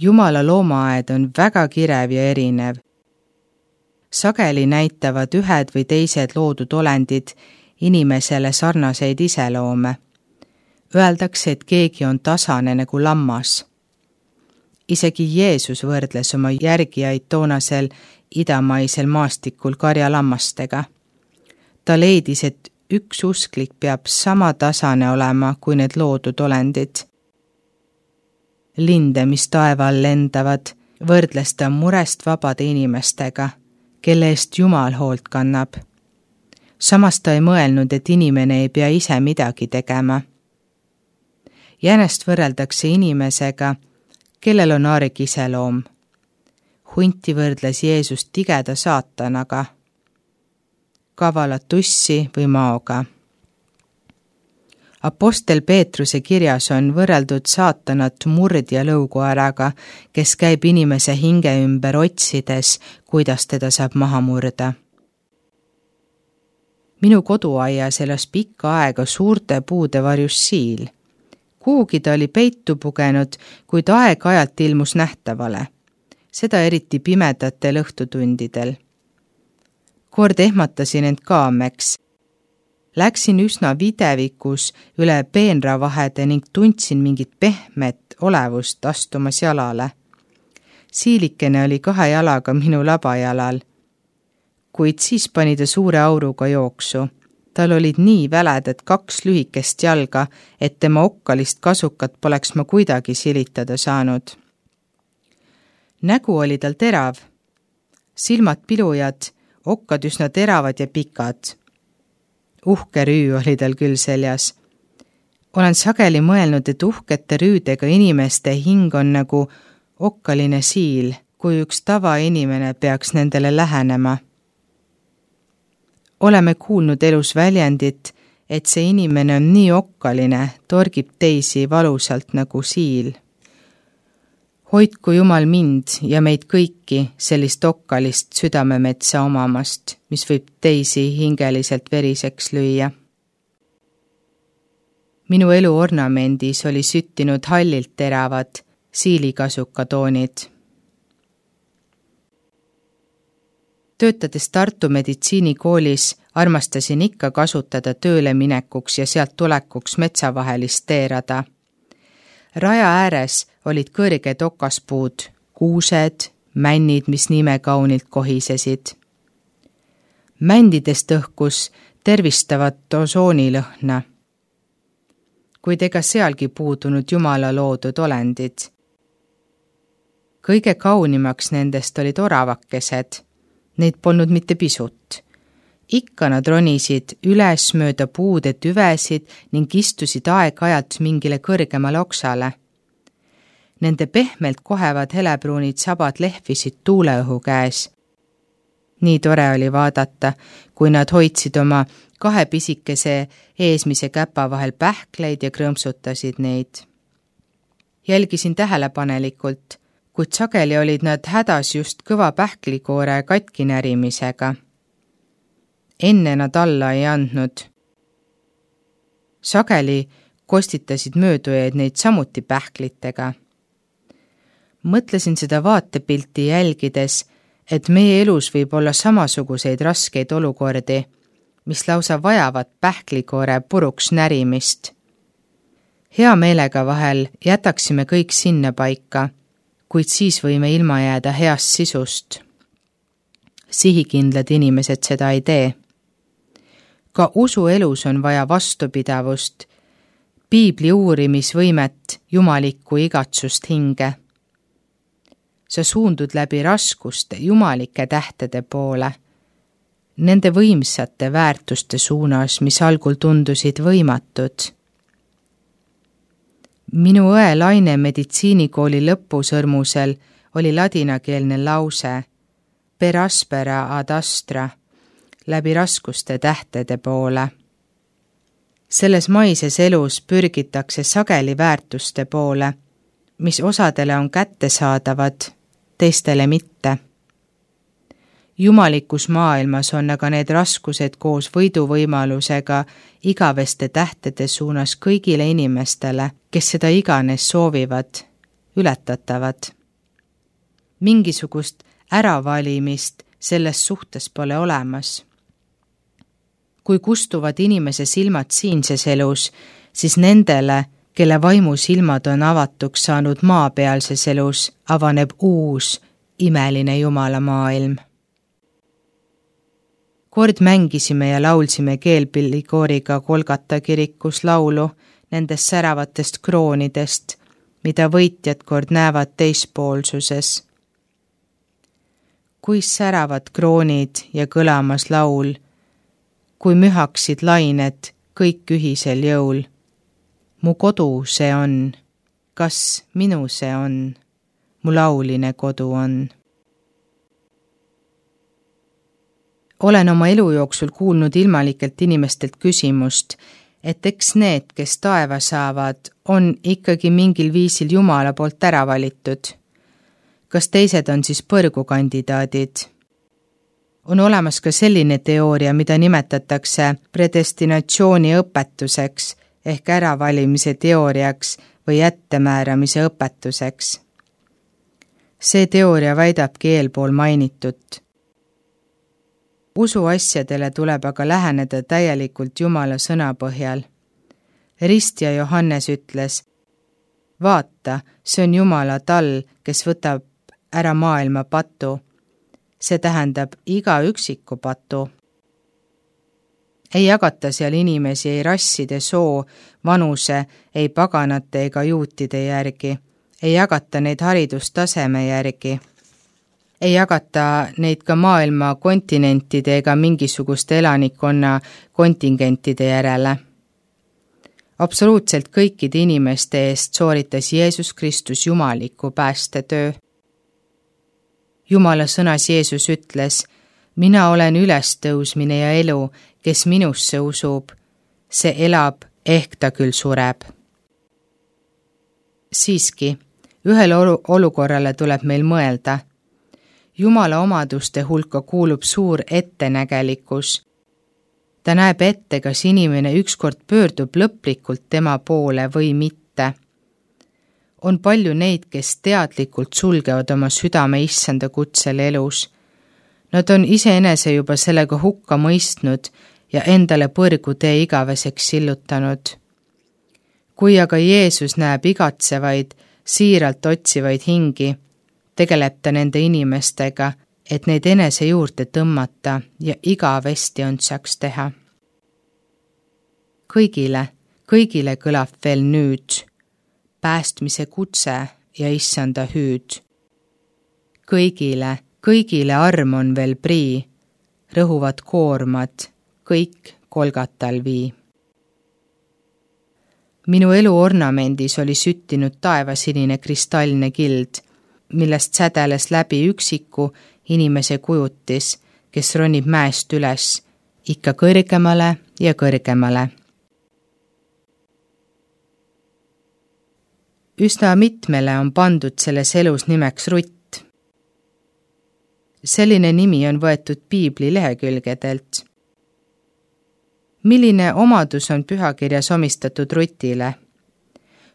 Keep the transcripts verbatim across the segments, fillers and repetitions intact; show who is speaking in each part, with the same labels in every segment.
Speaker 1: Jumala loomaaed on väga kirev ja erinev. Sageli näitavad ühed või teised loodud olendid inimesele sarnaseid iseloome. Öeldakse, et keegi on tasane nagu lammas. Isegi Jeesus võrdles oma järgijaid toonasel idamaisel maastikul karjalammastega. Ta leidis, et üks usklik peab sama tasane olema kui need loodud olendid. Linde, mis taeval lendavad, võrdles ta murest vabade inimestega, kelle eest Jumal hoolt kannab. Samas ta ei mõelnud, et inimene ei pea ise midagi tegema. Jänest võrreldakse inimesega, kellel on arg iseloom. Hunti võrdles Jeesus tigeda saatanaga, kavalat tussi või maoga. Apostel Peetruse kirjas on võrreldud saatanat murdja lõukoeraga, kes käib inimese hinge ümber otsides, kuidas teda saab maha murda. Minu koduaias elas pikka aega suurte puude varjus siil. Kuhugi ta oli peitu pugenud, kuid aeg-ajalt ilmus nähtavale. Seda eriti pimedatel õhtutundidel. Kord ehmatasin end kaameks. Läksin üsna videvikus üle peenravahede ning tundsin mingit pehmet olevust astumas jalale. Siilikene oli kahe jalaga minu labajalal, kuid siis pani ta suure auruga jooksu. Tal olid nii väledad kaks lühikest jalga, et tema okkalist kasukat poleks ma kuidagi silitada saanud. Nägu oli tal terav, silmad pilujad, okkad üsna teravad ja pikad. Uhke rüü oli tal küll seljas. Olen sageli mõelnud, et uhkete rüüdega inimeste hing on nagu okkaline siil, kui üks tavainimene peaks nendele lähenema. Oleme kuulnud elus väljendit, et see inimene on nii okkaline, torgib teisi valusalt nagu siil. Hoidku Jumal mind ja meid kõiki sellist okkalist südamemetsa omamast, mis võib teisi hingeliselt veriseks lüüa. Minu elu ornamendis oli süttinud hallilt teravad siilikasuka toonid. Töötades Tartu meditsiinikoolis armastasin ikka kasutada tööle minekuks ja sealt tulekuks metsavahelist teerada. Raja ääres olid kõrged okaspuud, kuused, männid, mis nime kaunilt kohisesid. Mändidest õhkus tervistavat osoonilõhna, kuid ega sealgi puudunud Jumala loodud olendid. Kõige kaunimaks nendest olid oravakesed. Neid polnud mitte pisut. Ikka nad ronisid üles mööda puude tüvesid ning istusid aeg-ajalt mingile kõrgemale oksale. Nende pehmelt kohevad helebruunid sabad lehvisid tuuleõhu käes. Nii tore oli vaadata, kui nad hoidsid oma kahe pisikese eesmise käpa vahel pähkleid ja krõmsutasid neid. Jälgisin tähelepanelikult, kuid sageli olid nad hädas just kõva pähklikoore katkinärimisega. Enne nad alla ei andnud. Sageli kostitasid möödujaid neid samuti pähklitega. Mõtlesin seda vaatepilti jälgides, et meie elus võib olla samasuguseid raskeid olukordi, mis lausa vajavad pähklikoore puruks närimist. Hea meelega vahel jätaksime kõik sinna paika, kuid siis võime ilma jääda heast sisust. Sihikindlad inimesed seda ei tee. Ka usu elus on vaja vastupidavust, piibli uurimisvõimet, jumalikku igatsust hinge. Sa suundud läbi raskuste jumalike tähtede poole, nende võimsate väärtuste suunas, mis algul tundusid võimatud. Minu õe Laine meditsiinikooli lõpusõrmusel oli ladinakeelne lause per aspera ad astra, läbi raskuste tähtede poole. Selles maises elus pürgitakse sageli väärtuste poole, mis osadele on kättesaadavad, teistele mitte. Jumalikus maailmas on aga need raskused koos võiduvõimalusega igaveste tähtede suunas kõigile inimestele, kes seda iganes soovivad, ületatavad. mingisugust äravalimist selles suhtes pole olemas. Kui kustuvad inimese silmad siinses elus, siis nendele, kelle vaimusilmad on avatuks saanud maapealses elus, avaneb uus, imeline Jumala maailm. Kord mängisime ja laulsime keelpillikooriga Kolgata kirikus laulu nendest säravatest kroonidest, mida võitjad kord näevad teispoolsuses. Kui säravad kroonid ja kõlamas laul, kui mühaksid lained kõik ühisel jõul. Mu kodu see on, kas minu see on, mu lauline kodu on. Olen oma elu jooksul kuulnud ilmalikelt inimestelt küsimust, et eks need, kes taeva saavad, on ikkagi mingil viisil Jumala poolt ära valitud. Kas teised on siis põrgukandidaadid? On olemas ka selline teooria, mida nimetatakse predestinatsiooni õpetuseks ehk äravalimise teooriaks või ettemääramise õpetuseks. See teooria väidabki eelpool mainitut. Usuasjadele tuleb aga läheneda täielikult Jumala sõna põhjal. Ristja Johannes ütles, vaata, see on Jumala tall, kes võtab ära maailma patu. See tähendab iga üksiku patu. Ei jagata seal inimesi ei rasside, soo, vanuse, ei paganate ega juutide järgi. Ei jagata neid haridustaseme järgi. Ei jagata neid ka maailma kontinentide ega mingisuguste elanikkonna kontingentide järele. Absoluutselt kõikide inimeste eest sooritas Jeesus Kristus jumaliku päästetöö. Jumala sõnas Jeesus ütles, mina olen ülestõusmine ja elu, kes minusse usub, see elab, ehk ta küll sureb. Siiski, ühel olukorrale tuleb meil mõelda. Jumala omaduste hulka kuulub suur ettenägelikkus. Ta näeb ette, kas inimene ükskord pöördub lõplikult tema poole või mitte. On palju neid, kes teadlikult sulgevad oma südame issanda kutsel elus. Nad on iseenese juba sellega hukka mõistnud ja endale põrgu tee igaveseks sillutanud. Kui aga Jeesus näeb igatsevaid, siiralt otsivaid hingi, tegeleb ta nende inimestega, et neid enese juurde tõmmata ja igavesti ondsaks teha. Kõigile, kõigile kõlab veel nüüd, päästmise kutse ja issanda hüüd. Kõigile, kõigile arm on veel prii, rõhuvad koormad, kõik Kolgatal vii. Minu elu ornamendis oli süttinud taevasinine kristalline kild, millest sädeles läbi üksiku inimese kujutis, kes ronib mäest üles, ikka kõrgemale ja kõrgemale. Üsna mitmele on pandud selles elus nimeks Rutt. Selline nimi on võetud piibli lehekülgedelt. Milline omadus on pühakirjas omistatud Rutile?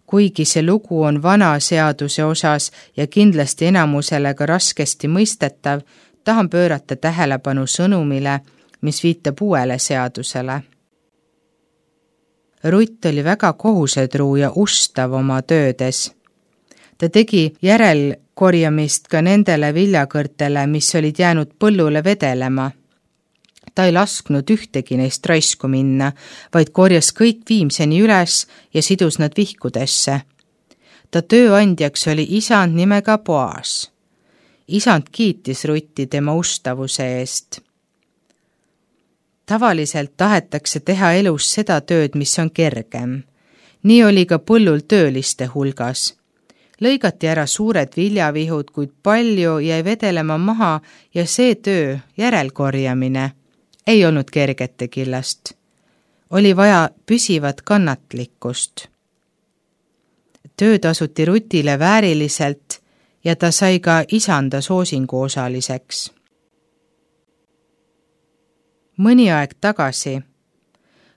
Speaker 1: Kuigi see lugu on vana seaduse osas ja kindlasti enamusele ka raskesti mõistetav, tahan pöörata tähelepanu sõnumile, mis viitab uuele seadusele. Rutt oli väga kohusetruu ja ustav oma töödes. Ta tegi järelkorjamist ka nendele viljakõrtele, mis olid jäänud põllule vedelema. Ta ei lasknud ühtegi neist raisku minna, vaid korjas kõik viimseni üles ja sidus nad vihkudesse. Ta tööandjaks oli isand nimega Boas. Isand kiitis Rutti tema ustavuse eest. Tavaliselt tahetakse teha elus seda tööd, mis on kergem. Nii oli ka põllul tööliste hulgas. Lõigati ära suured viljavihud, kuid palju jäi vedelema maha ja see töö, järelkorjamine, ei olnud kergete killast. Oli vaja püsivat kannatlikkust. Töö tasuti Rutile vääriliselt ja ta sai ka isanda soosingu osaliseks. Mõni aeg tagasi,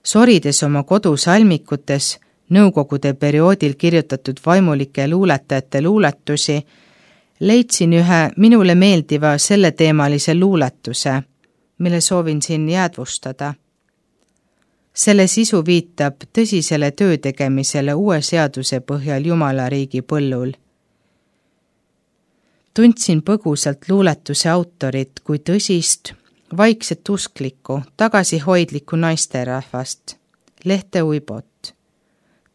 Speaker 1: sorides oma kodusalmikutes nõukogude perioodil kirjutatud vaimulike luuletajate luuletusi, leidsin ühe minule meeldiva selleteemalise luuletuse, mille soovin siin jäädvustada. Selle sisu viitab tõsisele töötegemisele uue seaduse põhjal Jumala riigi põllul. Tundsin põgusalt luuletuse autorit kui tõsist, vaikset usklikku, tagasihoidlikku naisterahvast, Lehte Uibot.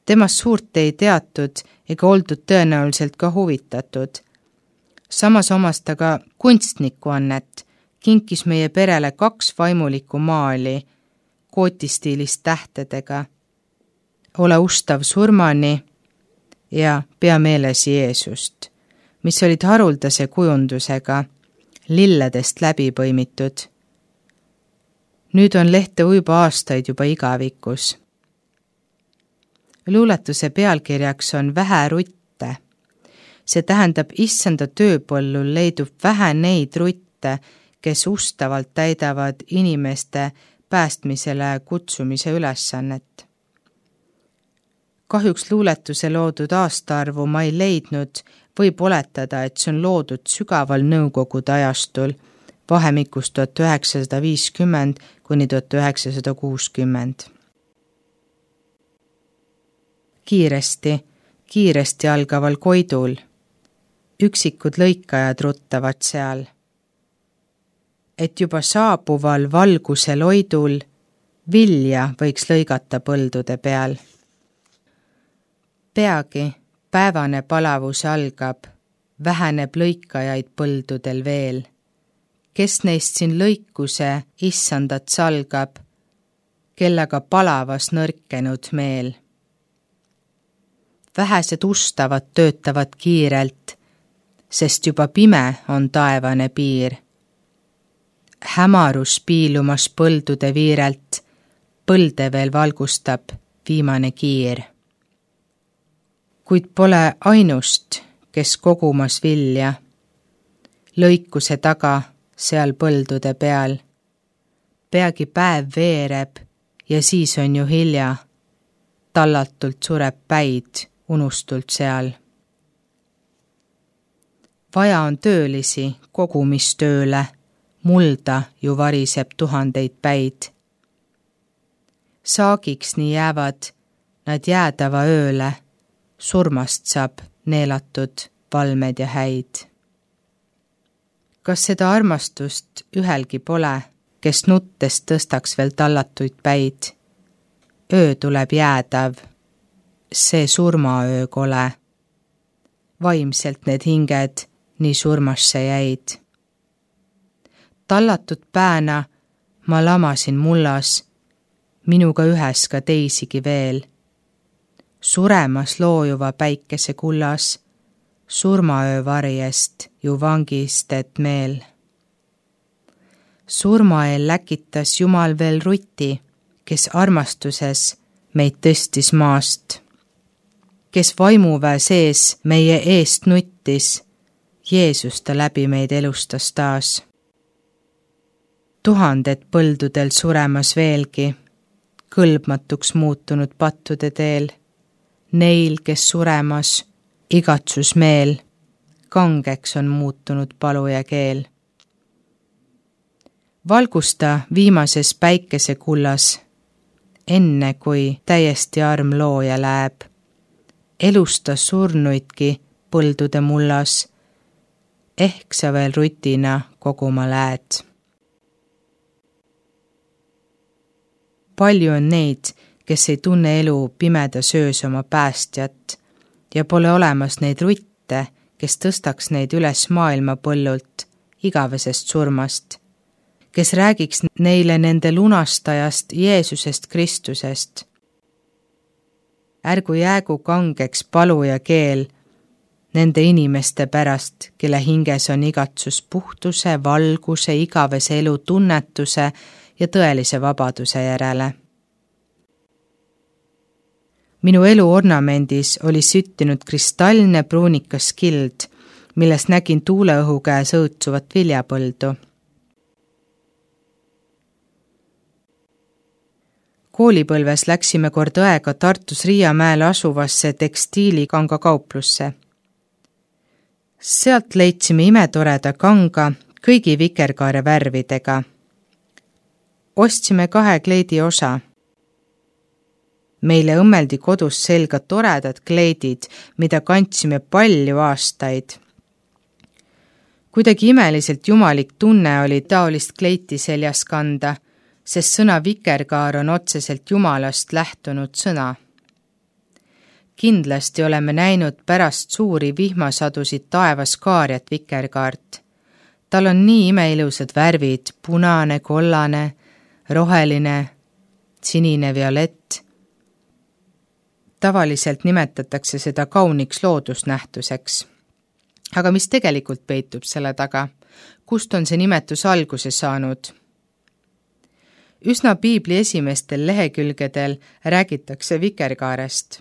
Speaker 1: Temast suurt ei teatud ega oldud tõenäoliselt ka huvitatud. Samas omas ta ka kunstnikuannet, kinkis meie perele kaks vaimulikku maali, kootistiilist tähtedega, Ole ustav surmani ja Pea meeles Jeesust, mis olid haruldase kujundusega, lilledest läbi põimitud. Nüüd on Lehte Uibo aastaid juba igavikus. Luuletuse pealkirjaks on Vähe rutte. See tähendab, issanda tööpõllul leidub vähe neid rutte, kes ustavalt täidavad inimeste päästmisele kutsumise ülesannet. Kahjuks luuletuse loodud aastaarvu ma ei leidnud, võib oletada, et see on loodud sügaval nõukogude ajastul, vahemikus tuhat üheksasada viiskümmend kuni tuhat üheksasada kuuskümmend. Kiiresti, kiiresti algaval koidul. Üksikud lõikajad ruttavad seal. Et juba saabuval valguse loidul vilja võiks lõigata põldude peal. Peagi päevane palavus algab, väheneb lõikajaid põldudel veel. Kes neist siin lõikuse issandat salgab, kellega palavas nõrkenud meel. Vähesed ustavad töötavad kiirelt, sest juba pime on taevane piir. Hämarus piilumas põldude viirelt, põlde veel valgustab viimane kiir. Kuid pole ainust, kes kogumas vilja, lõikuse taga seal põldude peal. Peagi päev veereb ja siis on ju hilja, tallatult sureb päid unustult seal. Vaja on töölisi kogumistööle, mulda ju variseb tuhandeid päid. Saagiks nii jäävad nad jäädava ööle, surmast saab neelatud valmed ja häid. Kas seda armastust ühelgi pole, kes nuttest tõstaks veel tallatuid päid? Öö tuleb jäädav, see surmaöö kole. Vaimselt need hinged nii surmasse jäid. Tallatud pääna ma lamasin mullas, minuga ühes ka teisigi veel. Suremas loojuva päikese kullas, surmaöö varjest ju vangistet meel. Surmaeel läkitas Jumal veel ruti, kes armastuses meid tõstis maast, kes vaimuväe sees meie eest nuttis, Jeesus ta läbi meid elustas taas. Tuhanded põldudel suremas veelgi, kõlbmatuks muutunud pattude teel, neil, kes suremas, igatsus meel, kangeks on muutunud palu ja keel. Valgusta viimases päikesekullas, enne kui täiesti arm looja läheb, elusta surnuidki põldude mullas, ehk sa veel rutina koguma lähed. Palju on neid, kes ei tunne elu pimeda söös oma päästjat ja pole olemas neid rutte, kes tõstaks neid üles maailma põllult, igavesest surmast, kes räägiks neile nende lunastajast Jeesusest Kristusest. Ärgu jäägu kangeks palu ja keel nende inimeste pärast, kelle hinges on igatsus puhtuse, valguse, igavese elu tunnetuse ja tõelise vabaduse järele. Minu elu ornamendis oli süttinud kristallne pruunikas kild, milles nägin tuuleõhu käes õõtsuvat viljapõldu. Koolipõlves läksime kord õega Tartus Riiamäel asuvasse tekstiilikanga kauplusse. Sealt leidsime imetoreda kanga kõigi vikerkaare värvidega. Ostsime kahe kleidi osa. Meile õmmeldi kodus selga toredad kleidid, mida kandsime palju aastaid. Kuidagi imeliselt jumalik tunne oli taolist kleiti seljas kanda, sest sõna vikerkaar on otseselt Jumalast lähtunud sõna. Kindlasti oleme näinud pärast suuri vihmasadusid taevas kaarjat vikerkaart. Tal on nii imeilusad värvid, punane, kollane, roheline, sinine, violett. Tavaliselt nimetatakse seda kauniks loodusnähtuseks. Aga mis tegelikult peitub selle taga? Kust on see nimetus alguse saanud? Üsna piibli esimestel lehekülgedel räägitakse vikerkaarest.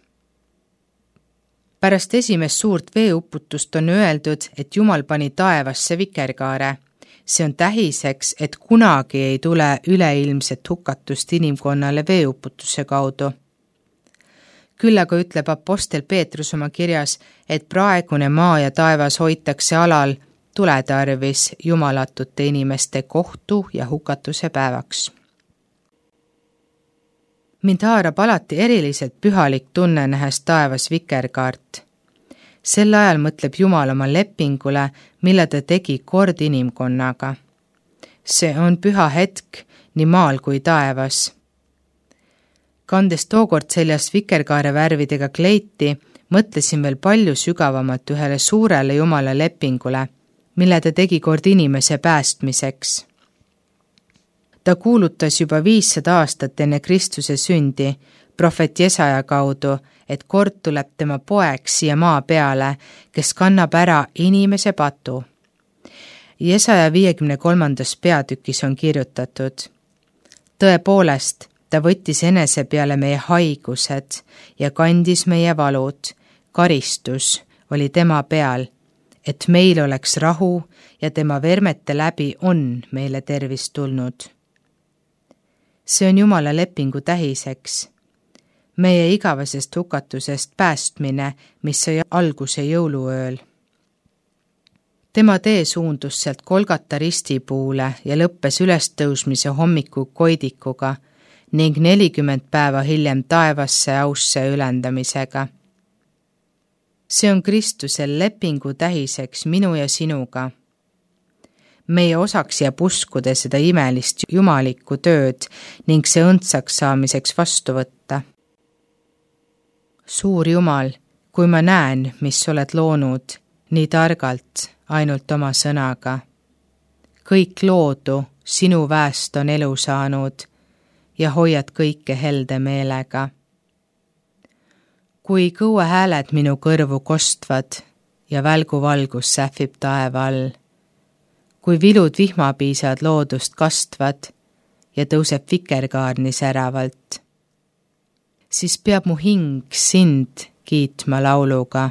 Speaker 1: Pärast esimest suurt veeuputust on öeldud, et Jumal pani taevasse vikerkaare. See on tähiseks, et kunagi ei tule üleilmset hukatust inimkonnale veeuputuse kaudu. Küll aga ütleb apostel Peetrus oma kirjas, et praegune maa ja taevas hoitakse alal tuletarvis jumalatute inimeste kohtu ja hukatuse päevaks. Mind haarab alati eriliselt pühalik tunne nähes taevas vikerkaart. Sel ajal mõtleb Jumal oma lepingule, mille ta tegi kord inimkonnaga. See on püha hetk nii maal kui taevas. Kandes tookord seljas vikerkaare värvidega kleiti, mõtlesin veel palju sügavamalt ühele suurele Jumala lepingule, mille ta tegi kord inimese päästmiseks. Ta kuulutas juba viissada aastat enne Kristuse sündi, prohvet Jesaja kaudu, et kord tuleb tema poeg siia maa peale, kes kannab ära inimese patu. Jesaja viiekümne kolmandas peatükis on kirjutatud: Tõepoolest, ta võttis enese peale meie haigused ja kandis meie valud. Karistus oli tema peal, et meil oleks rahu ja tema vermete läbi on meile tervis tulnud. See on Jumala lepingu tähiseks. Meie igavesest hukatusest päästmine, mis sai alguse jõuluööl. Tema tee suundus sealt Kolgata ristipuule ja lõppes ülestõusmise hommiku koidikuga ning nelikümmend päeva hiljem taevasse ausse ülendamisega. See on Kristusel lepingu tähiseks minu ja sinuga. Meie osaks jääb uskuda seda imelist jumalikku tööd ning see õndsaks saamiseks vastu võtta. Suur Jumal, kui ma näen, mis oled loonud nii targalt ainult oma sõnaga. Kõik loodu sinu väest on elu saanud ja hoiad kõike helde meelega. Kui kõue hääled minu kõrvu kostvad ja välgu valgus sähvib taeva all, kui vilud vihmapiisad loodust kastvad ja tõuseb vikerkaar nii säravalt, siis peab mu hing sind kiitma lauluga.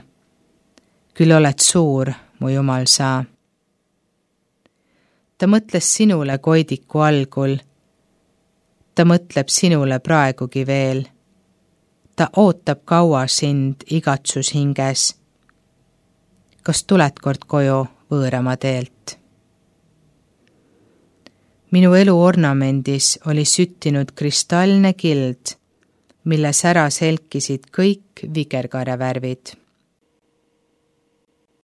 Speaker 1: Küll oled suur, mu Jumal sa. Ta mõtles sinule koidiku algul. Ta mõtleb sinule praegugi veel. Ta ootab kaua sind igatsus hinges. Kas tuled kord koju võõrama teelt? Minu elu ornamendis oli süttinud kristallne kild, mille säras helkisid kõik vikerkaare värvid.